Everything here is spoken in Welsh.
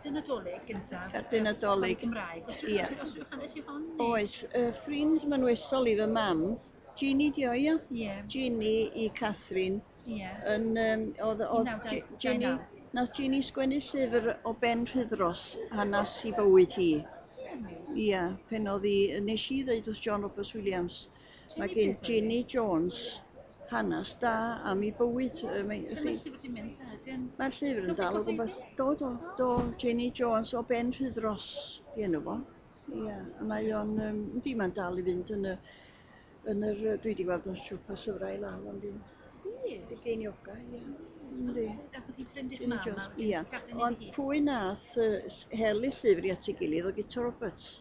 Cerdyn Nadolig gyntaf. Cerdyn Nadolig. Gymraeg. Oes Ie. rhyw hanes i hon? Neu? Oes, y ffrind mynwesol i fy mam, Jeannie di o, ia? Ie. Jeannie i Catherine. Ie. Yn, oedd Jeannie, nath Jeannie sgwennu llyfr o Ben Rhydros, hanes i bywyd hi. Ia, pen oedd hi, nes i ddeud wrth John Roberts Williams, mae gen Jeannie Jones hanes da am ei bywyd. Mae'r llyfr di mynd, Mae'r llyfr yn dal o gwmpas. Do, do, do, Jeannie Jones o Ben Rhydros, di enw fo. Ia, a mae o'n, yndi, mae'n dal i fynd yn y, yn yr, dwi wedi gweld o'n siopa llyfrau i lawr, ond dim geiniogau, ia. Yndi. Ac oedd hi'n ffrind i'ch mam? Ia, ond pwy nath hel y llyfr i at ei gilydd o Guto Roberts.